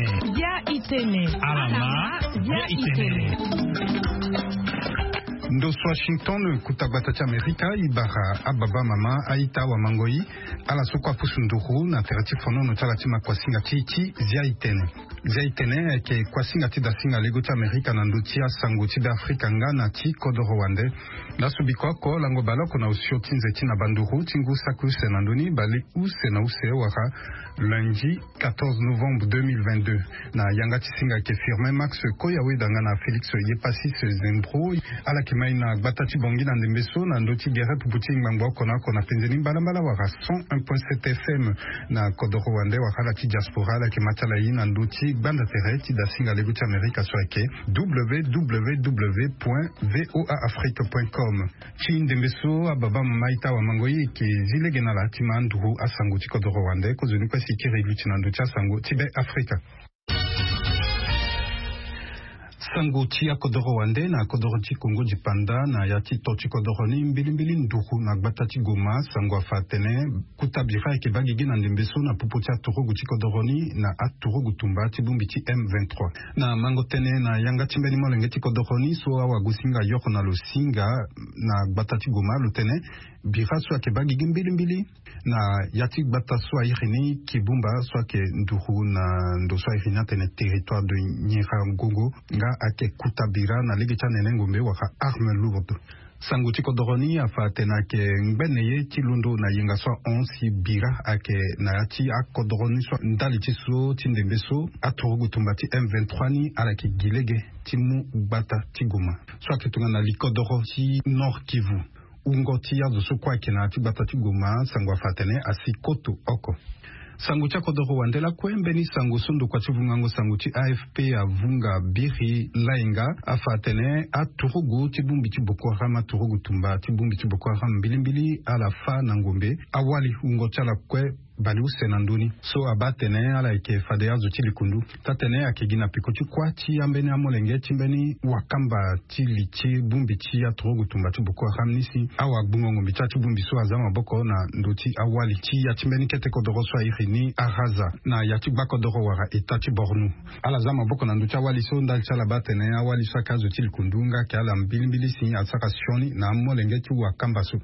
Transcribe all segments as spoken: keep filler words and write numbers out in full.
Bia itene. Alama. Bia itene. Ndo so Washington, kuta gbata ti Amerika, e bara ababa mama, aita, awamangoi, ala so kue apusu nduru na tere ti fonono ti ala ti ma kuasinga ti, ti zia itene. Zia itene ayeke kuasinga ti dasinga lego ti Amerika na ndö ti asango ti Beafrika nga na ti kodoro wande. Laso biko oko lango baleoko na osio ti nze ti na banduru ti ngu saki use na ndö ni baleuse na use wala lundi quatorze novembre deux mille vingt-deux. Na yanga ti singa ayeke Firmin Max Koyaweda nga na Félix Yepasis Zembro. Ala yeke mai na gbata ti Bangui na ndembe so na ndö ti gere pupu ti ngbangbo oko na oko na penze ni mbalambala wala cent un point sept F M. Na kodoro wande wala ala ti diaspora, ala yeke ma ti ala ye na ndö ti gbanda tere ti dasinga lego ti Amerika so ayeke W W W point V O A Afrique point com. Ti ndembe so ababa mama, aita, awamangoi, e yeke zi lege na ala ti ma anduru asango ti kodoro wande. Kozoni kue si e kiri luti na ndö ti asango ti Beafrika. Sango ti akodoro wande na kodoro ti Kongo dipanda na ya ti to ti kodoro ni, mbilimbili nduru na gbata ti Goma. Sango afa atene kuta bira ayeke baa gigi na ndembe so na popo ti aturugu ti kodoro ni na aturugu tumba ti bongbi ti M vingt-trois. Na mango tënë na yanga ti mbeni molenge ti kodoro ni so awagosinga yoro na lo singa na gbata ti Goma, lo tene bira so ayeke baa gigi mbilimbili na ya ti gbata so airi ni Kibumba, so ayeke nduru na ndo so airi ni atene territoire de Nyiragongo, nga ayeke kuta bira na lege ti anene ngombe wala arme lourde. Sango ti kodoro ni afa atene ayeke ngbene ye ti londo na yenga so ahon si bira ayeke na ya ti akodoro ni so ndali ti so ti ndembe so aturugu tumba ti M vingt-trois ni ala yeke gi lege ti mu gbata ti Goma so ayeke tongana likodoro ti Nord Kivu. Wungo ti azo so kue ayeke na ya ti gbata ti Goma, sango afa atene asi koto oko. Sango ti akodoro wande lakue, mbeni sango so ndokua ti vungango sango ti A F P avunga biri lainga afa atene aturugu ti bongbi ti Boko Haram, aturugu tumba ti bongbi ti Boko Haram mbilimbili ala fâ na ngombe awali wungo ti ala kue baleuse na ndö ni. So abaa atene ala yeke fade azo ti likundu. Taa-tene ayeke gi na peko ti kuâ ti ambeni amolenge ti mbeni wakamba ti li ti bongbi ti aturugu tumba ti Boko Haram ni si awagbungo ngombe ti ya ti bongbi so aza maboko na ndö ti awali ti ya ti mbeni kete kodoro so airi ni Araza na ya ti gbakodoro wala État ti Borno. Ala za maboko na ndö ti awali so ndali ti ala baa atene awali so ayeke azo ti likundu nga ayeke ala mbilimbili si asara sioni na amolenge ti wakamba so.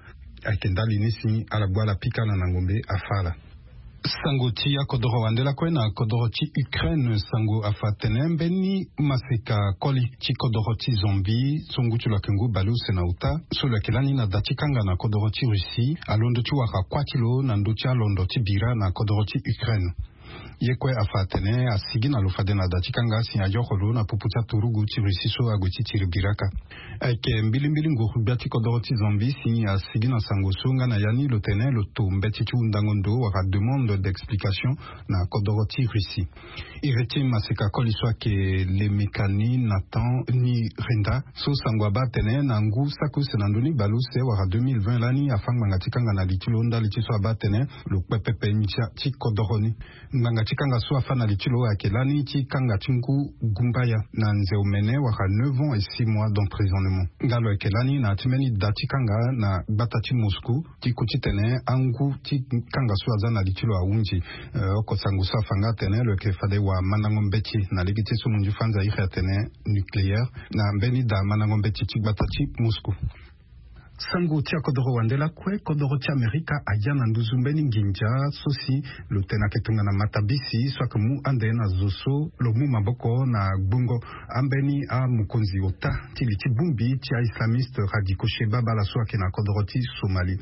Ayeke ndali ni si ala gbu ala pika ala na ngombe afâ ala. Sango ti akodoro wande lakue na kodoro ti Ukraine, sango afa atene mbeni maseka koli ti kodoro ti Zambie so ngu ti lo ayeke ngu baleuse na ota, so lo yeke lani na da ti kanga na kodoro ti Russie, alondo ti wara kuâ ti lo na ndö ti alondo ti bira na kodoro ti Ukraine. Ye kue afa atene asigi na lo fade na da ti kanga si ayoro lo na popo ti aturugu ti Russie so ague ti tiri biraka. Ayeke mbilimbili nguru-gbia ti kodoro ti Zambie si asigi na sango so nga na ya ni lo tene lo to mbeti ti hundango ndo wala demande d'explication na kodoro ti Russie. Iri ti maseka koli so ayeke Lemekani Nathan Nirinda so sango abaa atene na ngu saki use na ndö ni baleuse wala deux mille vingt lani afâ ngbanga ti kanga na li ti lo ndali ti so abaa atene lo kpe pepe ndia ti kodoro ni. Ngbanga ti kanga so afâ na li ti lo ayeke lani ti kanga ti ngu gumbaya na nze omene wala neuf ans et six mois d'emprisonnement. Nga lo yeke lani na ya ti mbeni da ti kanga na gbata ti Moscou ti ku titene angu ti kanga so aza na li ti lo ahunzi. Eh, oko sango so afa nga atene lo yeke fade wamandango mbeti na lege ti so munzu fanza iri atene nucléaire na mbeni da mandango mbeti ti gbata ti Moscou. Sango ti akodoro wande lakue, kodoro ti Amerika aya na nduzu mbeni nginza so si lo tene ayeke tongana matabisi so ayeke mu ande na zo so lo mu maboko na gbongo ambeni amokonzi ota ti li ti bongbi ti aislamiste radicaux Shebab ala so ayeke na kodoro ti Somalie.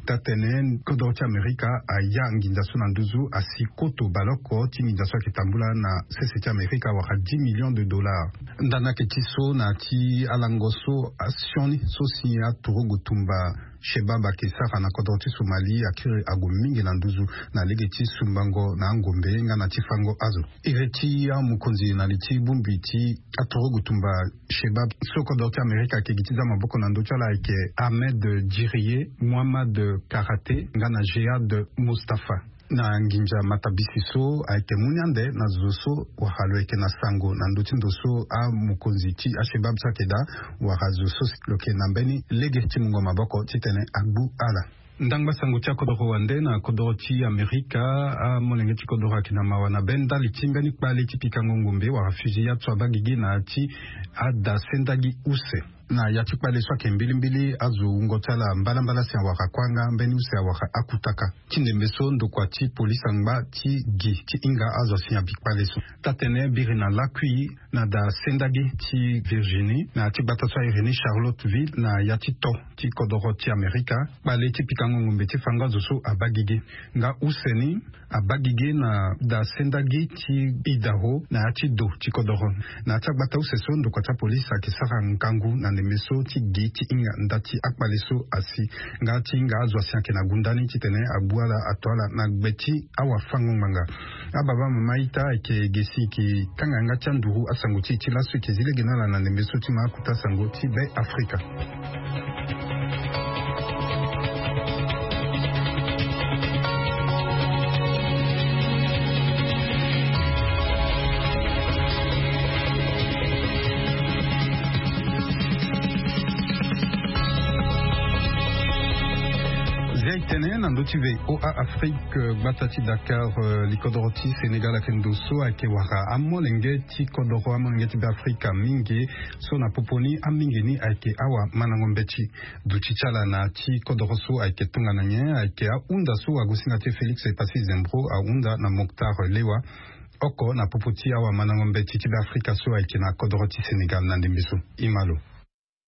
Taa-tene kodoro ti Amerika aya nginza so na nduzu asi koto baleoko ti nginza so ayeke tambula na sese ti Amerika wala dix millions de dollars. Ndani ayeke ti so na ya ti alango so asioni so si aturugu tumba Shebab ayeke sara na kodro ti Somalie akiri ague mingi na nduzu na lege ti sumbango na angombe nga na ti fango azo. Iri ti amokonzi na li ti bongbi ti aturugu tumba Shebab so kodro ti Amerika ayeke gi ti za maboko na ndö ti ala ayeke Ahmed Djiriye, Mohammad Karate nga na Jihad Mustafa. Na nginza matabisi so ayeke mu ni ande na zo so wala lo yeke na sango na ndö ti ndo so amokonzi ti aShebab so ayeke daa wala zo so lo yeke na mbeni lege ti mungo maboko titene agbu ala. Ndangba sango ti akodoro wande na kodoro ti Amerika. Amolenge ti kodoro ayeke na mawa na be ndali ti mbeni kpale ti pikango ngombe wala fusillade so abaa gigi na ya ti ada sendagi use. Na ya ti kpale so ayeke mbilimbili azo wungo ti ala mbalambala si awara kuanga mbeni use awara akutaka. Ti ndembe so ndokua ti polisi angba ti gi ti hinga azo asi abi kpale so. Taa-tene biri na lakui na da sendagi ti Virginie na ya ti gbata so airi ni Charlottesville na ya ti to ti kodoro ti Amerika. Kpale ti pikango ngombe ti fango azo so abaa gigi. Nga use ni abaa gigi na da sendagi ti Idaho na ya ti do ti kodoro. Na ya ti agbata use so ndokua ti apolisi ayeke sara ngangu na ndembe so ti gi ti hinga nda ti akpale so asi. Nga ti hinga azo asi ayeke na gunda ni titene abu ala ato ala na gbe ti awafango-ngbanga. Ababa mama ita ayeke ge si e yeke kanga yanga ti anduru asango ti e ti laso e yeke zi lege na ala na ndembe so ti ma akuta sango ti Be Afrika. Zia e tene na ndö ti V O A Afrique, gbata ti Dakar, eh, likodoro ti Sénégal ayeke ndo so ayeke wara amolenge ti kodoro, amolenge ti Be Afrika mingi. So na popo ni amingi ni ayeke awamandango mbeti. Duti ti ala na ya ti kodoro so ayeke tongana nyen? Ayeke ahunda so agosinga ti e Félix Passy Zembro ahunda na Moctar Lewa oko na popo ti awamandango mbeti ti Be Afrika so ayeke na kodoro ti Sénégal na ndembe so. E ma lo.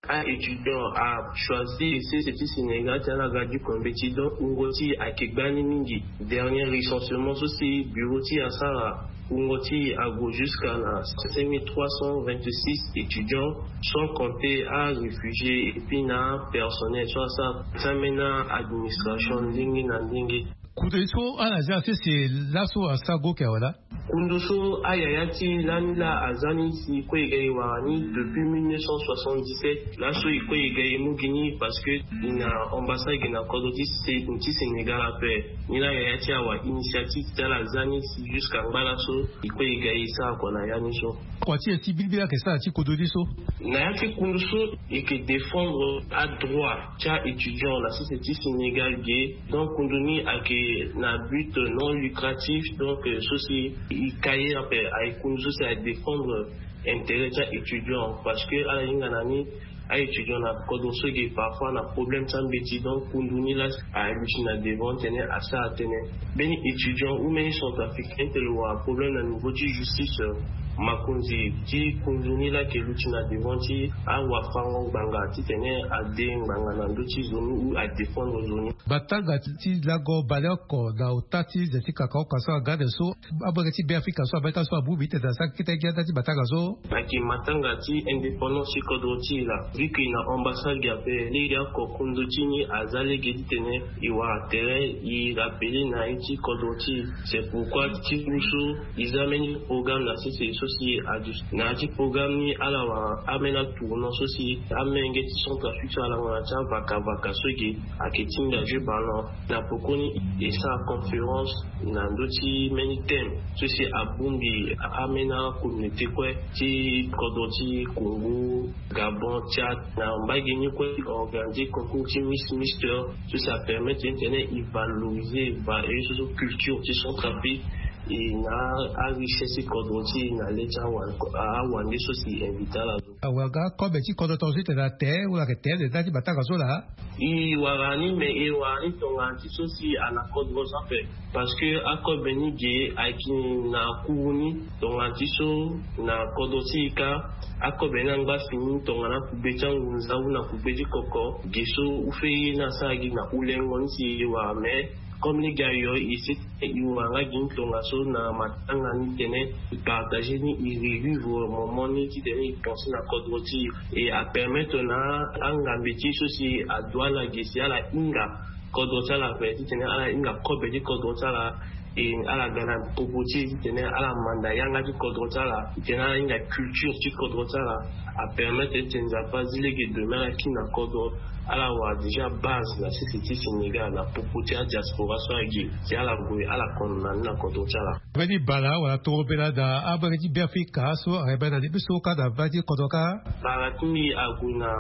A étudiant a choisi sese ti Sénégal ti ala ga duko mbeti, donc wungo ti e ayeke gbani mingi. Dernier recensement so si bureau ti e asara, wungo ti e ague jusqu'à na cinq mille trois cent vingt-six étudiants, sans compter a réfugié et puis na personnel so asara ti ambeni administration ndenge na ndenge. Kutu ye so ala zia sese laso asara go yeke awe laa. Kundu so ayaya ti lani laa aza ni si kue e ga e wara ni depuis mille neuf cent soixante-dix-sept. Laso e kue e ga e mu gi ni parce que e na ambassade ge na kodro ti Sé-, ti Sénégal ape. Ni laa yaya ti e awa initiative ti ala aza ni si jusqu'à ngba laso e kue e ga e sara kua na ya ni so. Kua ti e ti bilibili ayeke sara ti kodro ni so. Na ya ti kundu so e yeke défendre adroit ti a-étudiant na sese ti Sénégal ge. Donc kundu ni ayeke na but non lucratif, donc, euh, so si e ka ye ape, ayeke kundu so si ayeke défendre intérêt ti a-étudiant, parce que ala hinga na ni a-étudiant na kodro so ge parfois na problème ti ambeti. Donc kundu ni laa aluti na devant titene asara tënë. Mbeni étudiant ou mbeni centrafricain ti lo wara problème na niveau ti justice, euh, makonzi ti kundu ni laa ayeke luti na devant ti awafango ngbanga titene ade ngbanga na ndö ti zo ni ou adéfendre zo ni. Batanga ti lago baleoko na ota ti ze ti kakaoka so aga ande so, amolenge ti Be Afrika so abeta so abongbi titene asara kete gi anda ti batanga so. Ayeke matanga ti indépendance ti kodro ti e laa. Vu que e na ambassade ge ape, lege oko kundu ti ni aza lege titene e wara tere e rappele na ye ti kodro ti e. C'est pourquoi ti ngu so e za mbeni programme na sese so si adu na ya ti programme ni ala wara ambeni atournant so si amolenge ti Centrafrique so alango na ya ti avakavaka so ge ayeke ti hinga jeu ballon. Na pokoni e sara conférence na ndö ti mbeni thème so si abongbi ambeni acommunauté kue ti kodro ti Congo, Gabon, Tchad. Na mbage ni kue e organiser concours ti Miss Mister so si apermettre titene e valoriser va e so so culture ti Centrafrique. E na arichesse ti kodro ti e na le ti awa-, awande so si e invite ala. Awe, aga akobe ti kodro tongaso ti tene ate wala ayeke tere nda ti batanga so laa. E wara ni, mais e wara ni tongana ti so si ana kodro so ape. Parce que akobe ni ge ayeke na kuru ni tongana ti so na kodro ti e kâ. Akobe ni angba si ni tongana akugbe ti angunza ou na kugbe ti koko ge so ou fait ye ni asara gi na ulengo ni si e wara, mais comme lege ayo e sese e wara nga gi ni tongaso na matanga ni titene e partager ni, e revivre moment ni titene e pense na kodro ti e. E apermettre na angambe ti e so si adoit na ge si ala hinga kodro ti ala ape, titene ala hinga kobe ti kodro ti ala. E ala ga na popo ti e titene ala manda yanga ti kodro ti ala, titene ala hinga culture ti kodro ti ala. Apermettre titene Nzapa azi lege demain ala kiri na kodro. Ala wara déjà base na sese ti Sénégal na popo ti adiaspora so age si ala gue ala kono na ni na kodro ti ala. Mbeni bala wala toro bela daa abage ti Beafrika so ayamba na ndembe so kâ na mba ti kodro kâ. Bara ti mbi ague na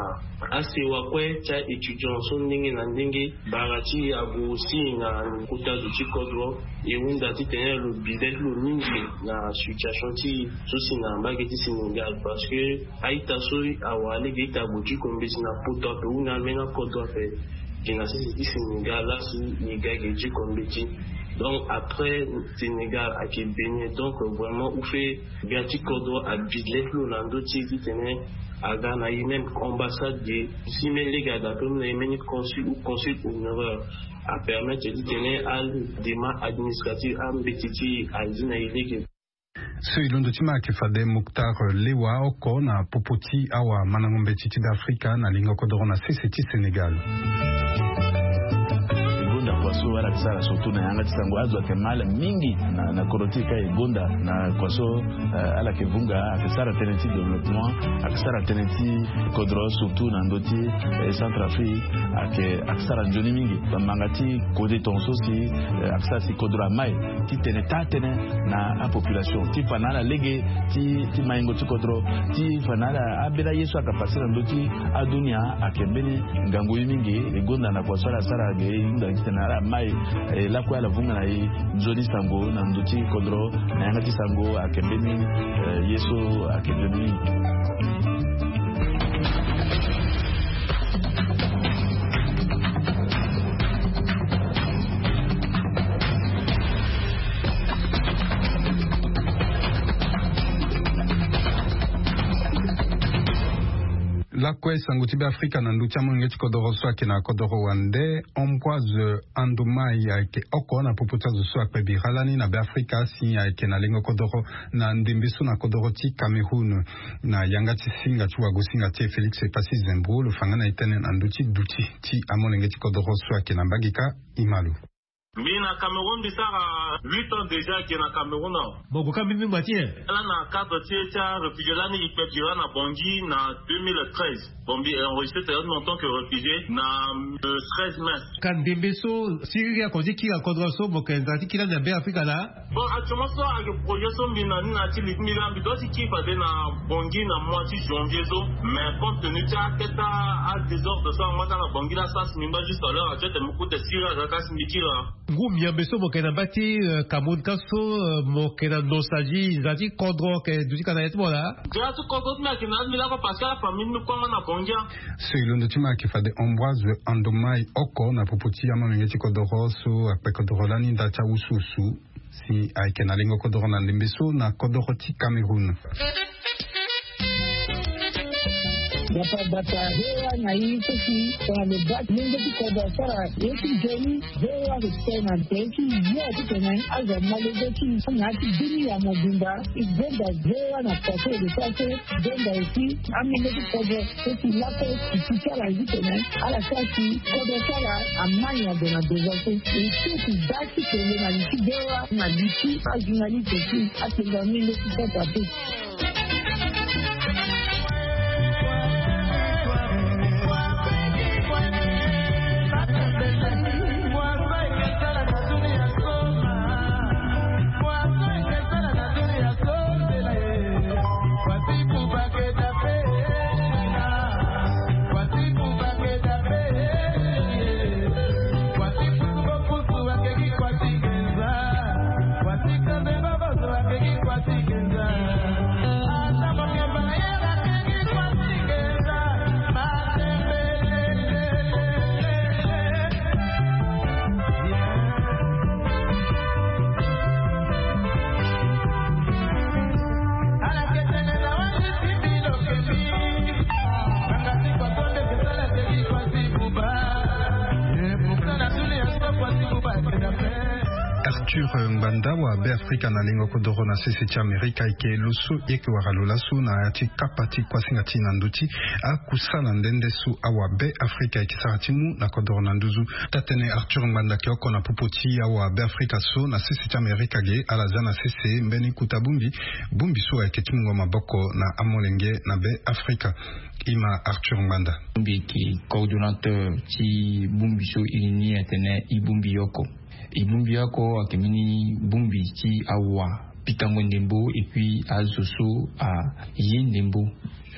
asewa kue ti a-étudiant so ndenge na ndenge. Bara ti ague aussi na kota zo ti kodro. E hunda titene lo bi le ti lo mingi na situation ti so si na mbage ti Sénégal parce que a-ita so awara lege ita ague ti kombeti na poto ape hunda ambeni akodro ape. Gi na sese ti Sénégal lasi e ga ge ti kombeti. Donc après Sénégal ayeke Bénin, donc vraiment ou fait gbia ti kodro abi le ti lo na ndö ti e titene aga na e même ambassade de si même lege ada pe mu na e même consul ou consul honoraire apermettre titene adémarche administrative ambeti ti e azi na e lege. So e londo ti ma ayeke fade Moktar Lewa oko na popo ti awamandango mbeti ti Beafrika na lingo kodoro na sese ti Sénégal. E gonda kua so ala yeke sara surtout na yanga ti sango azo ayeke mal mingi na, na kodro ti e ka e gonda na kua so, eh, ala yeke vunga ayeke sara tënë ti développement, ayeke sara tënë ti kodro surtout na ndö ti, eh, Centrafrique, ayeke, ayeke sara nzoni mingi. Bamanga ti kode tongaso si, eh, ayeke sara si kodro amai titene taa tënë na apopulation ti fa na ala lege ti, ti maingo ti kodro, ti fa na ala abela ye so ayeke pase na ndö ti adunia ayeke mbeni ngangu ye mingi. E gonda na kua so ala sara ge e hunda titene ala mai, eh, lakue ala vunga na e nzoni sango na ndö ti kodro na yanga ti sango ayeke mbeni, eh, ye so ayeke nzoni mingi. Lakue sango ti Beafrika na ndö ti amolenge ti kodoro so ayeke na kodoro wande, Ambroise Andomai ayeke oko na popo ti azo so akpe bira lani na Beafrika si ayeke na lengo kodoro na ndembe so na kodoro ti Cameroun. Na yanga ti singa ti wagosinga ti e Félix Epassi Zembro lo fa nga na e tënë na ndö ti duti ti amolenge ti kodoro so ayeke na mbage ka. Imalo. Mbi na Cameroun mbi sara huit ans déjà ke na Cameroun awa. Mo gue ka mbeni ngba ti nyen? Ala na cadre ti e ti aréfugié lani e kpe bira na Bangui na deux mille treize. Bon, mbi enregistré tene en tant que réfugié na, euh, treize mai. Ka ndembe so siriri ako ti kiri na kodro so mo yeke na nzara ti kiri lani na Beafrika laa? Bon, actuellement so ayeke projet so mbi na ni na ya ti li ti mbi laa mbi doit ti kiri fade na Bangui na mois ti janvier so. Mais compte tenu ti akete adésordre so angba ti ala na Bangui laa, sara si mbi ngba juste à l'heure actuelle tene mbi kute siriri aga ka si mbi kiri laa. Ngu miambe so mo yeke na mba ti, euh, Cameroun ka so, euh, mo yeke na nostalgie nzara ti kodro ayeke duti ka na ya ti mo laa? Nzara ti kodro ti mbi ayeke na ya ti mbi lakue parce que afamille ti mbi kue angba na Bangui. So e londo ti mbi ayeke fade Ambroise Andomai oko na popo ti amolenge ti kodoro so akpe kodoro lani nda ti awusuwusu si ayeke na lengo kodoro na ndembe so na kodoro ti Cameroun. Bata bata V O A na e so si tongana lo baa ti lenge ti kodro asara ye ti nzoni. V O A ayeke tene na tere ti yo titene azo ama lege ti na ya ti bini ya mobimba. E gonda V O A na kua so e lo sara so. E gonda aussi amolenge ti kodro so si lakue e ti ti ala ye titene ala sara si kodro ti ala ama nyen ague na devant so. E so e ti baa ti tene na li ti V O A na li ti ajournaliste aussi atene amolenge ti kodro ape. Arthur Ngbanda, awabe afrika na lengo kodoro na sese ti amerika, eke lo so e yeke wara lo laso na ya ti kapa ti kuasinga ti na ndö ti akusala nde nde so awabe afrika eke sara ti mu na kodoro na nduzu. Taa-tënë Arthur Ngbanda eke oko na popo ti awabe afrika so na sese ti amerika ge, ala za na sese mbeni kota bongbi, bongbi so ayeke ti mungo maboko na amolenge na be afrika. Ima Arthur Ngbanda. Bongbi eke coordonnateur ti bongbi so e ni atene e bongbi oko. E bongbi oko ayeke mbeni bongbi ti awa pikango ndembo et puis azo so aye ndembo,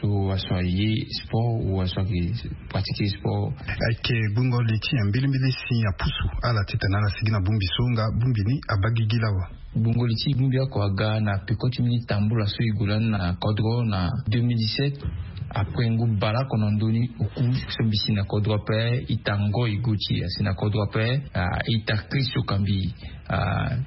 so aso aye sport ou aso ayeke pratiquer sport. Ayeke gbungo li ti nyen mbilimbili si apusu ala titene ala sigi na bongbi so nga bongbi ni abaa gigi lawa? Gbungo li ti bongbi oko aga na peko ti mbeni tambula so e gue lani na kodro na deux mille dix-sept. Après ngu baleoko na ndö ni oku so mbi si na kodro ape, ita Ngoy Gauthier asi na kodro ape, ah, ita Christ Okambi, ah,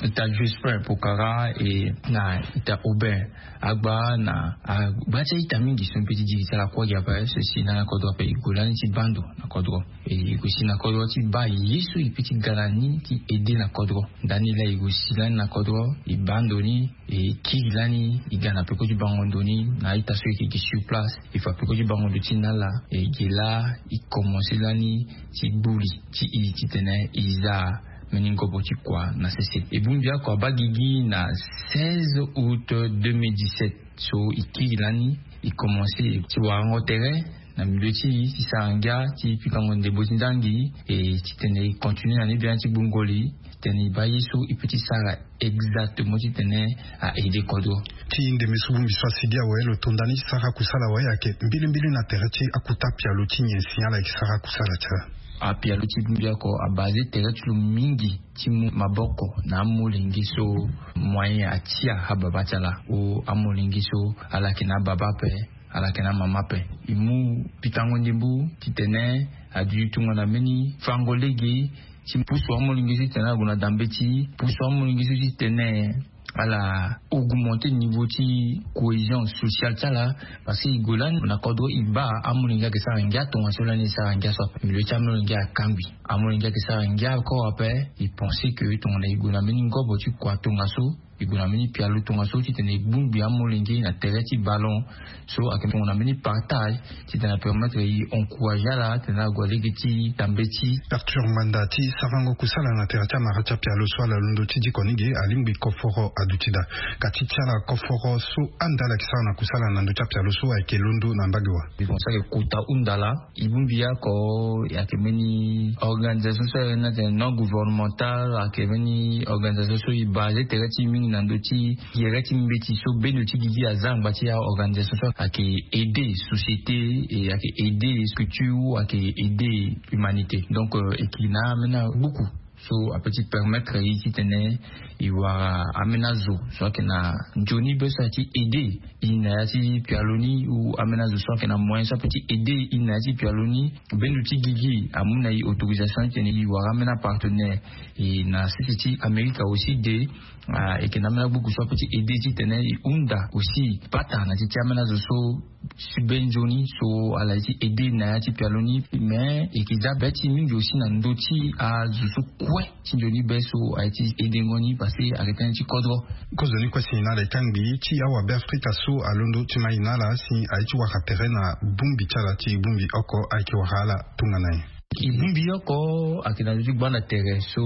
ita Jospin Pokara, e na ita Aubin Agba, na agba ti a-ita mingi so mbi pe ti diri ti ala kue gi ape so e si lani na kodro ape. E gue lani ti baa ndo na kodro, e gue si na kodro ti baa ye so e pe ti ga na ni ti aide na kodro. Ndani laa e gue si lani na kodro, e baa ndo ni, e kiri lani, e ga na peko ti bango ndo ni na a-ita so e yeke gi sur place. E fa peko ti bango ndo ti na ala, e ge laa e komanse lani ti gbu li ti e titene e za mbeni ngobo ti kua na sese. E bongbi oko abaa gigi na seize août deux mille dix-sept. So e kiri lani, e komanse ti warango tere na milieu ti e ti sara ngia ti pikango ndembo ti nzangi, e titene e continue na ni biani ti gbungo li titene e baa ye so e pe ti sara exactement titene a aide kodro. Ti ndembe so bongbi so asigi awe, lo to nda ni ti sara kusala awe, ayeke mbilimbili na tere ti akota pialo ti nyen si ala yeke sara kusala ti ala? Apialo ti bongbi oko abase tere ti lo mingi ti mu maboko na amolenge so moyen atia ababa ti ala, o amolenge so ala yeke na ababa ape, ala yeke na amama ape. E mu pikango ndembo titene aduti tongana mbeni fango lege ti pusu amolenge so titene ala gue na dambeti, pusu amolenge so titene ala augmenter niveau ti cohésion sociale ti ala. Parce que e gue lani na kodro e baa amolenge ayeke sara ngia tongaso lani e sara ngia so ape. Milieu ti amolenge akangbi. Amolenge ayeke sara ngia encore ape. E pense que tongana e gue na mbeni ngobo ti kua tongaso, e gue na mbeni pialo tongaso titene e gbungbi amolenge na tere ti ballon. So ayeke tongana mbeni partage titene apermettre e encourager ala titene ague lege ti tambeti. Arthur Ngbanda, ti sarango kusala na tere ti amara ti apialo so ala londo ti diko ni ge, alingbi koforo aduti daa. Ka ti ti ala koforo so ande ala yeke sara na kusala na ndö ti apialo so ayeke londo na mbage wa? E bongbi so ayeke kota hunda laa. E bongbi oko ayeke mbeni organisation so ayeke na tene non gouvernemental, ayeke mbeni organisation so e base tere ti e mingi na ndö ti gere ti mbeti so bendo ti gigi aza angba ti aorganisation so ayeke aider société, e ayeke aider structure, ayeke aider humanité. Donc, euh, e yeke na ambeni agbuku so ape ti permettre e titene e wara ambeni azo so ayeke na nzoni be so ayeke ti aider e na ya ti pialo ni, ou ambeni azo so ayeke na moyen so ape ti aider e na ya ti pialo ni. Bendo ti gigi amu na e autorisation titene e wara ambeni apartenaire. E na sese ti Amerika aussi de, ah, e yeke na ambeni agbuku so ape ti aider titene e hunda aussi pata na ti ti ambeni azo so si be nzoni so ala ye ti aider na ya ti pialo ni. Mais e yeke za be ti mingi aussi na ndö ti azo so kue ti nzoni be so aye ti aidengo ni parce que ayeke tënë ti kodro. Kozoni kue si na ala e kangbi ti awabe afrika so alondo ti ma e na ala si aye ti wara tere na bongbi ti ala ti bongbi oko ayeke wara ala tongana nyen? E bongbi oko ayeke na ndö ti gbanda tere so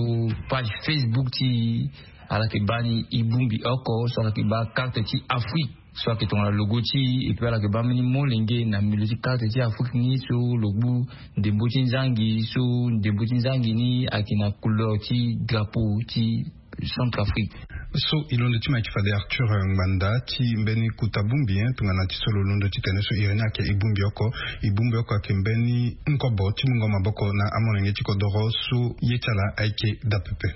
page Facebook ti e, ala yeke baa ni e bongbi oko so ala yeke baa carte ti Afrique so ayeke tongana logo ti e, et puis ala yeke baa mbeni molenge na milieu ti carte ti Afrique ni so lo gbu ndembo ti nzangi, so ndembo ti nzangi ni ayeke na couleur ti drapeau ti Centrafrique. So e londo ti ma e yeke fade Arthur Ngbanda ti mbeni kota bongbi, hein, tongana ti so lo londo titene so iri ni ayeke e bongbi oko. E bongbi oko ayeke mbeni ngobo ti mungo maboko na amolenge ti kodoro so ye ti ala ayeke daa pepe.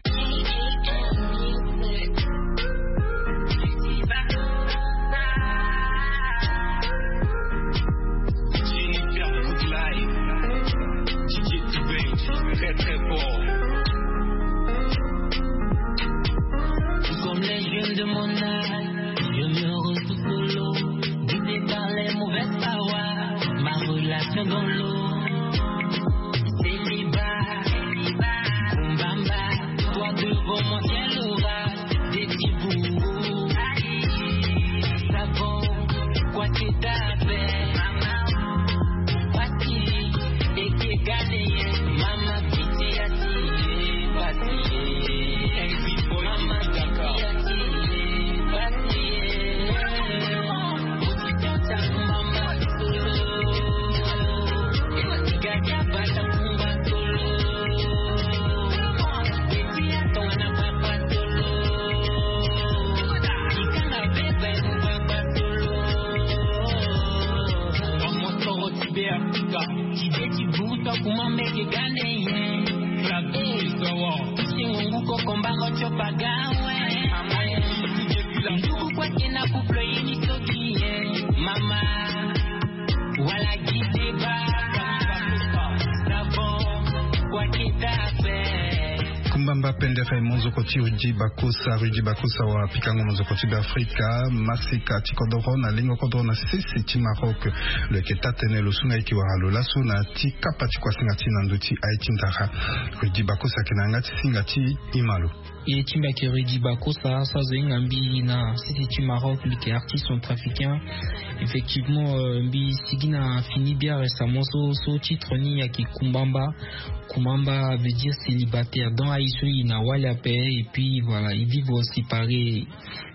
Très, très fort. Comme les jeunes de mon âge, je me retrouve solo, guidé par les mauvaises paroles, ma relation dans l'eau. Célibat, Kumbamba, toi de Ti de ti buru to kuma mbege gande ye. Kabe sowo. Ti ngungu koko mbango tio pagawe. Ndugu kwa kena couple yini toki ye. Mama. Wala gideba. Savo. Kwa kita fe. Kumbamba pendere mozoko ti Rudy Bakosa. Rudy Bakosa wa pikango mozoko ti Beafrika. Masika ti kodoro na lingo kodoro na sese ti Maroc. Lo yeke taa tënë lo su nga ye yeke wara lo laso na ti kapa ti kuasinga ti na ndö ti aye ti ndara. Rudy Bakosa ayeke na yanga ti singa ti ima lo. Ye ti mbi ayeke Rudy Bakosa so azo hinga mbi na sese ti Maroc, mbi yeke artiste centrafricain. Effectivement, euh, mbi sigi na fini bien récemment so, so titre ni ayeke Kumbamba. Kumamba veut dire célibataire. Donc aye so e na wali ape, et puis voilà, e vivre séparé.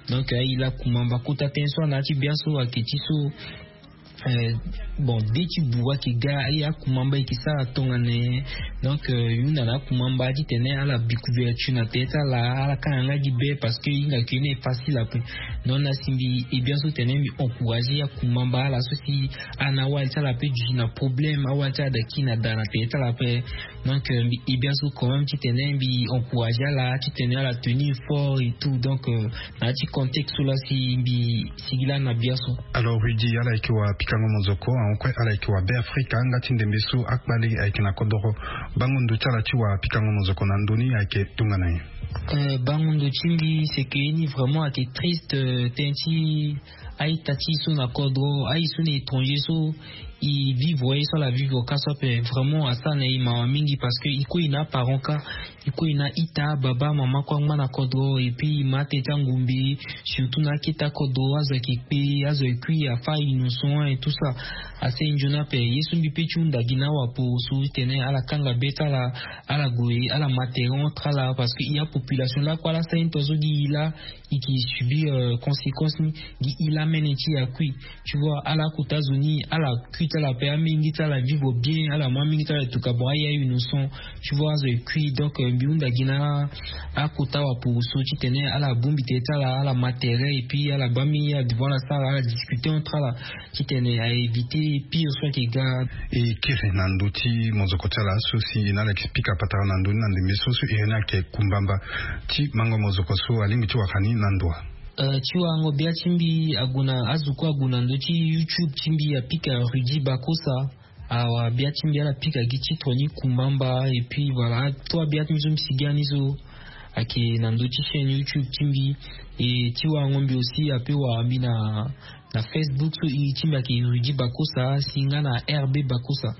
Donc aye la Kumamba. Kota tënë so ana ya ti biaso ayeke ti so, euh, bon, de ti buru ayeke ga, aye akumamba e yeke sara tongana nyen? Donc, euh, e hunda na akumamba titene ala bi couverture na tere ti ala, ala kanga nga gi be, parce que e hinga ke ni e facile ape. Donc na si mbi e biaso tene mbi encourager akumamba ala so si ana awali ti ala ape duti na problème, awali ti ala da kiri na da na tere ti ala ape. Donc, euh, mbi e biaso quand même titene mbi encourager ala titene ala tenir fort et tout. Donc, euh, na ya ti contexte so la si mbi sigi la na biaso. Alors Rudy, ala yeke wa pikango mozoko, ango kue ala yeke wa Beafrika, nga ti ndembe so akpale ayeke na kodoro. Bango ndo ti ala ti wa pikango mozoko na ndö ni ayeke tongana nyen? Euh, bango ndo ti mbi, c'est que ni vraiment ayeke triste, euh, tënë ti a-ita ti e so na kodro, aye so na étranger so e vivre ye so ala vivre ka so ape, vraiment asara na e mawa mingi, parce que e kue e na aparent ka, e kue e na ita, baba, mama kue angba na kodro, et puis e ma tënë ti angombe, surtout na akete akodro, azo ayeke kpe, azo ayeke kui, afa innocent et tout ça. Ase nzoni ape ye so mbi pe ti hunda gi na awaporoso titene ala kanga be ti ala, ala gue, ala ma tere entre ala, parce que e apopulation lakue ala sara ni tongaso gi e la, e ke subir, euh, conséquence ni gi e la mene ti e akui. Tu vois, ala kota azo ni, ala kui ti ala ape, amenge ti ala vivre bien, ala mu amenge ti ala, en tout cas bon, aye a-innocent. Tu vois, azo ayeke kui. Donc, euh, mbi hunda gi na akota waporoso titene ala bongbi tere ti ala, ala ma tere, et puis ala baa amenge, ala devant ala sara, ala discuter entre ala titene a éviter pire so ayeke ga. E kiri na ndö ti mozoko ti ala so si na ala yeke pika patara na ndö ni na ndembe so, so iri ni ayeke Kumbamba. Ti mango mozoko so alingbi ti wara ni na ndo wa? Euh, ti warango bia ti mbi ague na, azo kue ague na ndö ti YouTube ti mbi, apika Rudy Bakosa. Awa, bia ti mbi ala pika gi titre ni Kumbamba, et puis voilà, trois bia ti mbi so mbi sigi ani so ayeke na ndö ti chaîne YouTube ti mbi. Et ti warango mbi aussi ape wara mbi na, na Facebook so iri ti mbi ayeke Rudy Bakosa, si nga na R B Bakosa.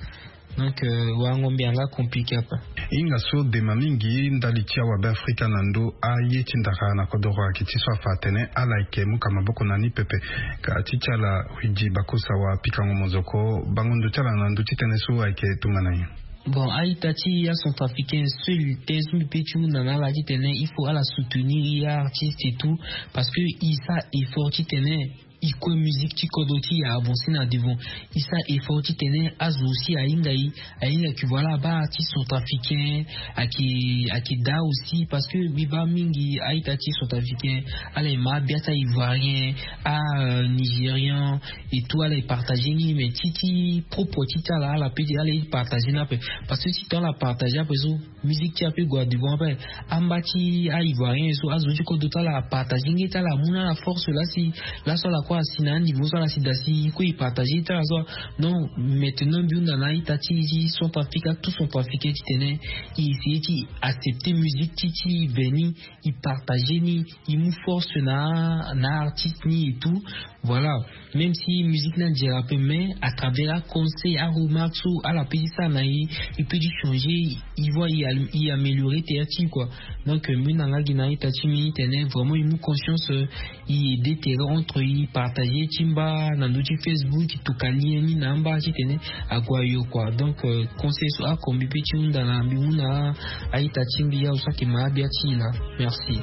Donc, euh, warango mbi anga compliqué ape. Hinga so dema mingi ndali ti awabe Afrika na ndö aye ti ndara na kodoro ayeke ti so afa atene ala yeke mu ka maboko na ni pepe. Ka ti ti ala Rudy Bakosa wa pikango mozoko, bango ndo ti ala na ndö ti tënë so ayeke tongana nyen? Bon, a-ita ti acentrafricain seul tënë so mbi pe ti hunda na ala titene il faut ala soutenir e artiste et tout, parce que e sara effort titene e kue musique ti kodro ti e avancer na devant. E sara effort titene azo aussi ahinga e, ahinga que voilà, abaa artiste centrafricain ayeke, ayeke daa aussi, parce que mbi baa mingi a-ita ti centrafricain ala e ma abia ti a-ivoirien, a, euh, nigérian et tout, ala e partager ni, mais ti, ti propre ti ti ala, ala pe, ala e partager ni ape. Parce que si tant ala partager ape so, musique ti e ape gue na devant ape. Amba ti a-ivoirien so, azo ti kodro ti ala apartager nge ti ala, amu na ala force la si, laso ala kue asi na aniveau so ala si daa si e kue e partager ti ala so. Non, maintenant mbi hunda na a-ita ti, ti Centrafrique, tout Centrafricain titene e essayer ti accepter musique ti, ti e ve ni, e partager ni, e mu force na, na artiste ni et tout. Voilà. Même si musique ni adérape, mais à travers aconseil, aremarque so ala pe ti sara na e, e pe ti changer, e voit e, e améliorer tere ti e quoi. Donc, euh, mbi hunda nga gi na a-ita ti mbi titene vraiment e mu conscience, euh, e aider tere entre e, partager ti mba na ndö ti Facebook, e toka lien ni na amba titene ague ayo quoi. Donc, euh, conseil so oko mbi pe ti hunda na, mbi mu na a-ita ti mbi azo so ayeke ma abia ti e laa. Merci.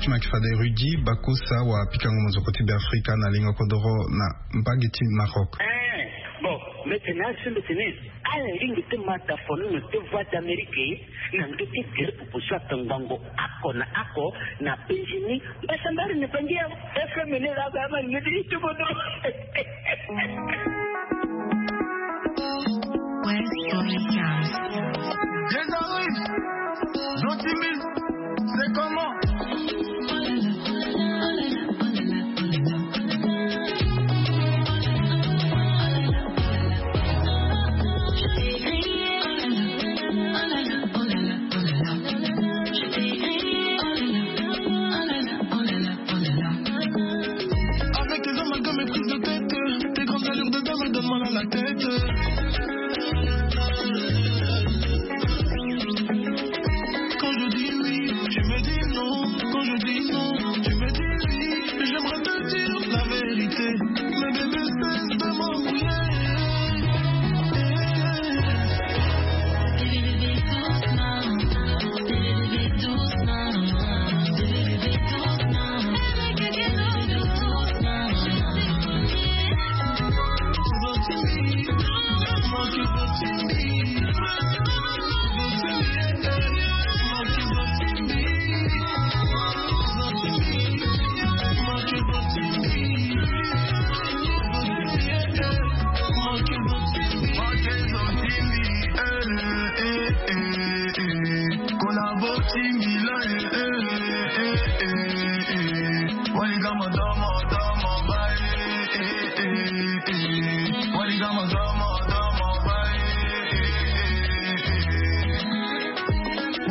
Ti ma yeke fade Rudy Bakosa wa pikango mozoko ti Beafrika na lingo kodoro na mbage ti Maroc. Eh, bon, mbeti ni asi mbeti ni. Ala lingbi ti ma tafono na ti Voix d'Amérique na ndö ti gere pupu so atongbango oko na oko na Benjini. Mbasambari ni bangi ya F M ni la ba ma ni ti tubodo. West Story Sounds. Désolé. Zotimi, c'est comment? Avec tes amalgames et prises de tête, tes grandes allures de dame donnent mal à la tête. Quand je dis oui, tu me dis non. Quand je dis non, tu me dis oui. J'aimerais te dire la vérité. Mais bébé, cesse de m'embrouiller.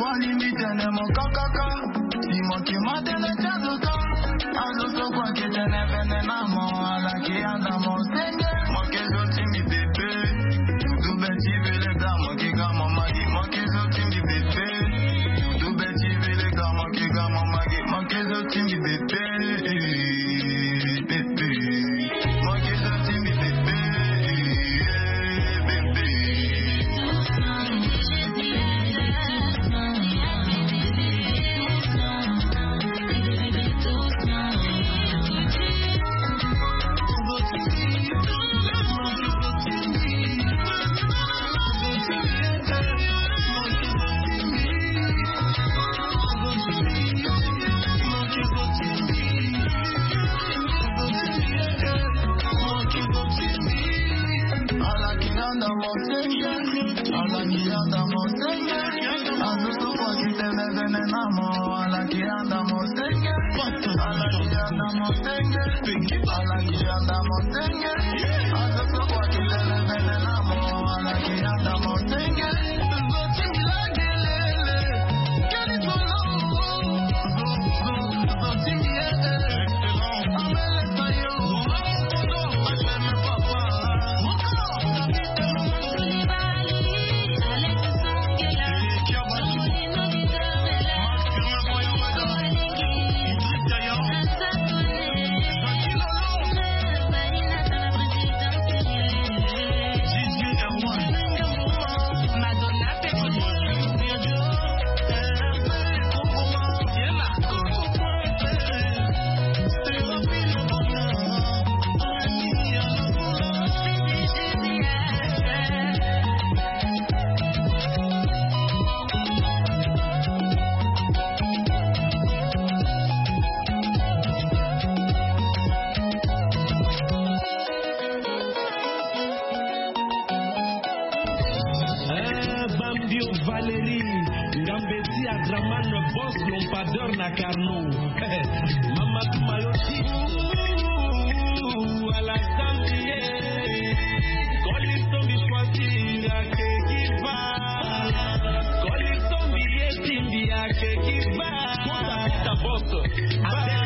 Wali mi tene mo kakaka. Si mo ke ma tene ti azo ka. Azo so kua ke tene vene na mo, ala ke yanda mo senge. Mo ke zo ti mi bebe. Dudu be ti vele ga mo ke ga mo magi. Mo ke zo ti mi bebe. Dudu be ti vele ga mo ke ga mo magi. Mo ke zo ti mi bebe. Bebe. Eh, Bambio Valérie, Ngambeti Adraman, boss lampadeur na Carnot. Mama Tumayo ti. Ala Zambie. Koli sombi kwasi ake kiva. Koli sombi ye timbi ake kiva. Kota kita boss. Ake